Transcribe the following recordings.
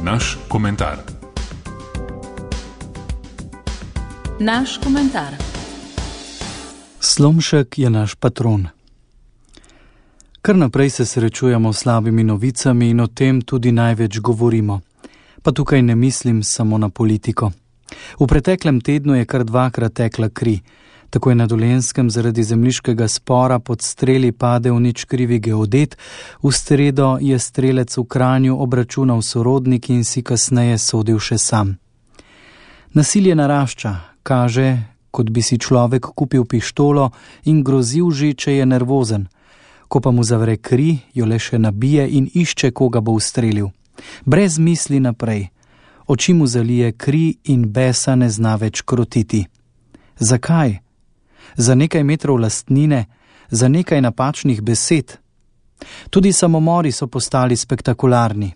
Naš komentar. Naš komentar. Slomšek je naš patron. Kar naprej se srečujemo s slabimi novicami in o tem tudi največ govorimo. Pa tukaj ne mislim samo na politiko. V preteklem tednu je kar dvakrat tekla kri. Tako je na Dolenjskem zaradi zemljiškega spora pod streli padel nič krivi geodet, v sredo je strelec v Kranju obračunal sorodnik in si kasneje sodil še sam. Nasilje narašča, kaže, kot bi si človek kupil pištolo in grozil že, če je nervozen. Ko pa mu zavre kri, jo le še nabije in išče, koga bo ustrelil. Brez misli naprej. Oči mu zalije kri in besa ne zna več krotiti. Zakaj? Za nekaj metrov lastnine, za nekaj napačnih besed. Tudi samomori so postali spektakularni.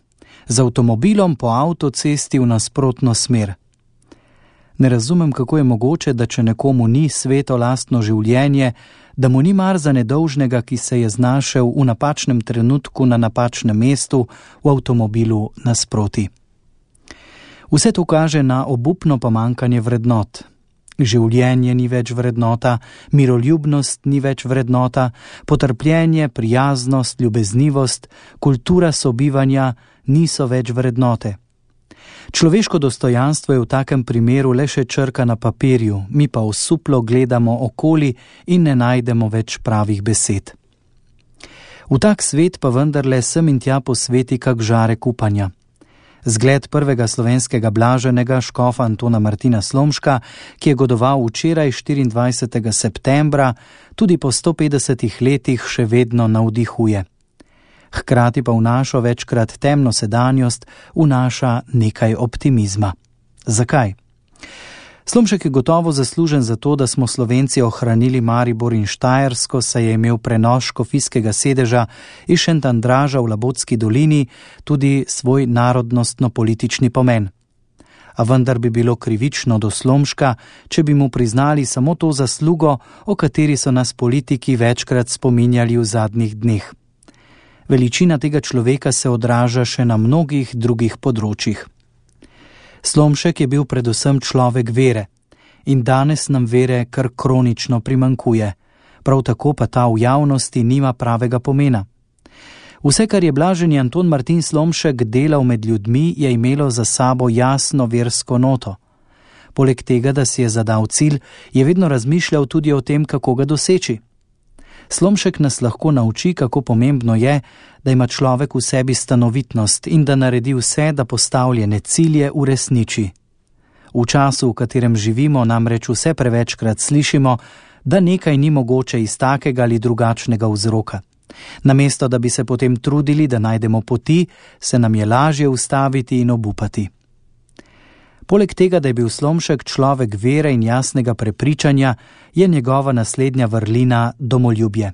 Z avtomobilom po avtocesti v nasprotno smer. Ne razumem, kako je mogoče, da če nekomu ni sveto lastno življenje, da mu ni mar za nedolžnega, ki se je znašel v napačnem trenutku na napačnem mestu v avtomobilu nasproti. Vse to kaže na obupno pomanjkanje vrednot. Življenje ni več vrednota, miroljubnost ni več vrednota, potrpljenje, prijaznost, ljubeznivost, kultura sobivanja niso več vrednote. Človeško dostojanstvo je v takem primeru le še črka na papirju, mi pa osuplo gledamo okoli in ne najdemo več pravih besed. V tak svet pa vendarle sem in tja posveti kak žarek upanja. Zgled prvega slovenskega blaženega škofa Antona Martina Slomška, ki je godoval včeraj 24. septembra, tudi po 150 letih še vedno navdihuje. Hkrati pa v našo večkrat temno sedanjost vnaša nekaj optimizma. Zakaj? Slomšek je gotovo zaslužen za to, da smo Slovenci ohranili Maribor in Štajersko, saj je imel prenos škofijskega sedeža iz Šentandraža v Labotski dolini tudi svoj narodnostno-politični pomen. A vendar bi bilo krivično do Slomška, če bi mu priznali samo to zaslugo, o kateri so nas politiki večkrat spominjali v zadnjih dneh. Veličina tega človeka se odraža še na mnogih drugih področjih. Slomšek je bil predvsem človek vere in danes nam vere kar kronično primanjkuje, prav tako pa ta v javnosti nima pravega pomena. Vse, kar je blaženi Anton Martin Slomšek delal med ljudmi, je imelo za sabo jasno versko noto. Poleg tega, da si je zadal cilj, je vedno razmišljal tudi o tem, kako ga doseči. Slomšek nas lahko nauči, kako pomembno je, da ima človek v sebi stanovitnost in da naredi vse, da postavljene cilje uresniči. V času, v katerem živimo, namreč vse prevečkrat slišimo, da nekaj ni mogoče iz takega ali drugačnega vzroka. Namesto, da bi se potem trudili, da najdemo poti, se nam je lažje ustaviti in obupati. Poleg tega, da je bil Slomšek človek vere in jasnega prepričanja, je njegova naslednja vrlina domoljubje.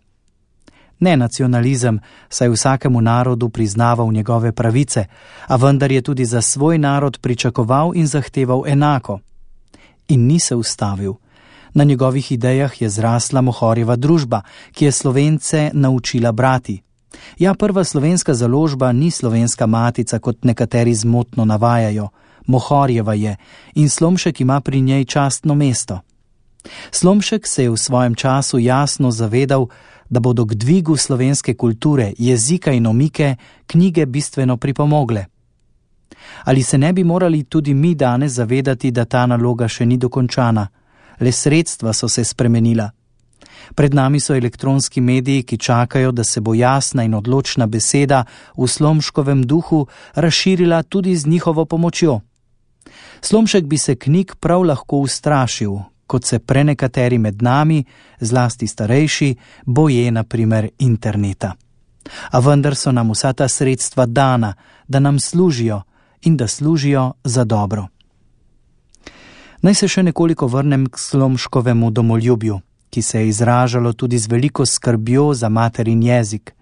Ne nacionalizem, saj vsakemu narodu priznaval njegove pravice, a vendar je tudi za svoj narod pričakoval in zahteval enako. In ni se ustavil. Na njegovih idejah je zrasla Mohorjeva družba, ki je Slovence naučila brati. Ja, prva slovenska založba ni Slovenska matica, kot nekateri zmotno navajajo. Mohorjeva je in Slomšek ima pri njej častno mesto. Slomšek se je v svojem času jasno zavedal, da bodo k dvigu slovenske kulture, jezika in omike knjige bistveno pripomogle. Ali se ne bi morali tudi mi danes zavedati, da ta naloga še ni dokončana? Le sredstva so se spremenila. Pred nami so elektronski mediji, ki čakajo, da se bo jasna in odločna beseda v Slomškovem duhu razširila tudi z njihovo pomočjo. Slomšek bi se knjig prav lahko ustrašil, kot se prenekateri med nami, zlasti starejši, boje na primer interneta. A vendar so nam vsa ta sredstva dana, da nam služijo in da služijo za dobro. Naj se še nekoliko vrnem k Slomškovemu domoljubju, ki se je izražalo tudi z veliko skrbjo za materin jezik.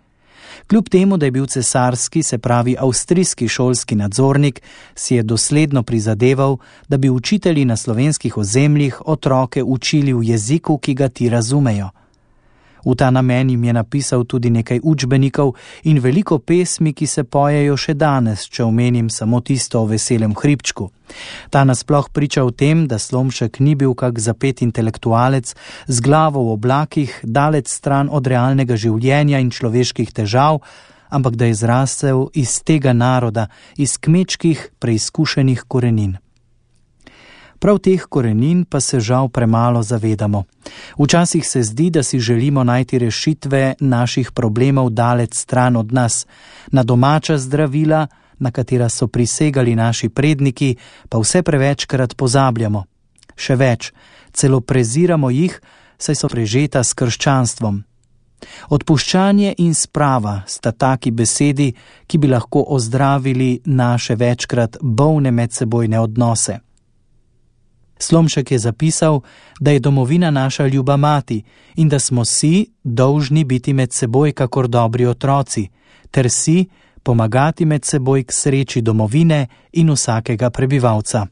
Kljub temu, da je bil cesarski, se pravi avstrijski šolski nadzornik, si je dosledno prizadeval, da bi učitelji na slovenskih ozemljih otroke učili v jeziku, ki ga ti razumejo. V ta namen jim je napisal tudi nekaj učbenikov in veliko pesmi, ki se pojejo še danes, če omenim samo tisto o veselem hribčku. Ta nasploh priča o tem, da Slomšek ni bil kak zapet intelektualec z glavo v oblakih, daleč stran od realnega življenja in človeških težav, ampak da je zrastel iz tega naroda, iz kmečkih preizkušenih korenin. Prav teh korenin pa se žal premalo zavedamo. Včasih se zdi, da si želimo najti rešitve naših problemov daleč stran od nas. Na domača zdravila, na katera so prisegali naši predniki, pa vse prevečkrat pozabljamo. Še več, celo preziramo jih, saj so prežeta s krščanstvom. Odpuščanje in sprava sta taki besedi, ki bi lahko ozdravili naše večkrat bolne medsebojne odnose. Slomšek je zapisal, da je domovina naša ljuba mati in da smo si dolžni biti med seboj kakor dobri otroci, ter si pomagati med seboj k sreči domovine in vsakega prebivalca.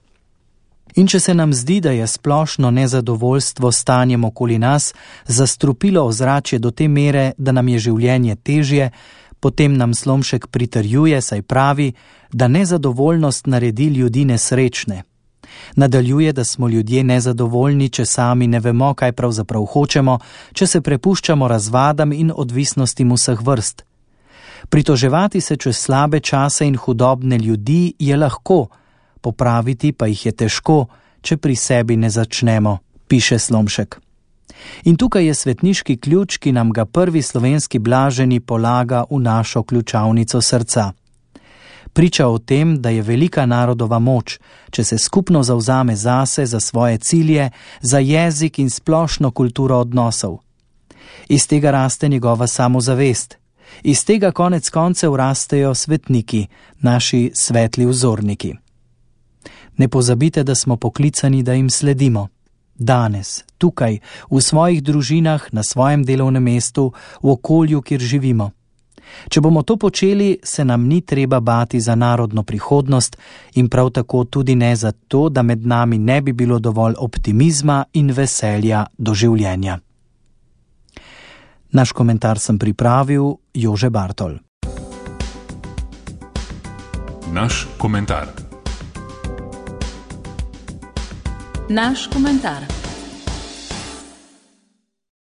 In če se nam zdi, da je splošno nezadovoljstvo stanjem okoli nas zastrupilo ozračje do te mere, da nam je življenje težje, potem nam Slomšek pritrjuje, saj pravi, da nezadovoljnost naredi ljudi nesrečne. Nadaljuje, da smo ljudje nezadovoljni, če sami ne vemo, kaj pravzaprav hočemo, če se prepuščamo razvadam in odvisnostim vseh vrst. Pritoževati se čez slabe čase in hudobne ljudi je lahko, popraviti pa jih je težko, če pri sebi ne začnemo, piše Slomšek. In tukaj je svetniški ključ, ki nam ga prvi slovenski blaženi polaga v našo ključavnico srca. Priča o tem, da je velika narodova moč, če se skupno zavzame zase, za svoje cilje, za jezik in splošno kulturo odnosov. Iz tega raste njegova samozavest. Iz tega konec koncev rastejo svetniki, naši svetli vzorniki. Ne pozabite, da smo poklicani, da jim sledimo. Danes, tukaj, v svojih družinah, na svojem delovnem mestu, v okolju, kjer živimo. Če bomo to počeli, se nam ni treba bati za narodno prihodnost in prav tako tudi ne za to, da med nami ne bi bilo dovolj optimizma in veselja do življenja. Naš komentar sem pripravil Jože Bartol. Naš komentar. Naš komentar.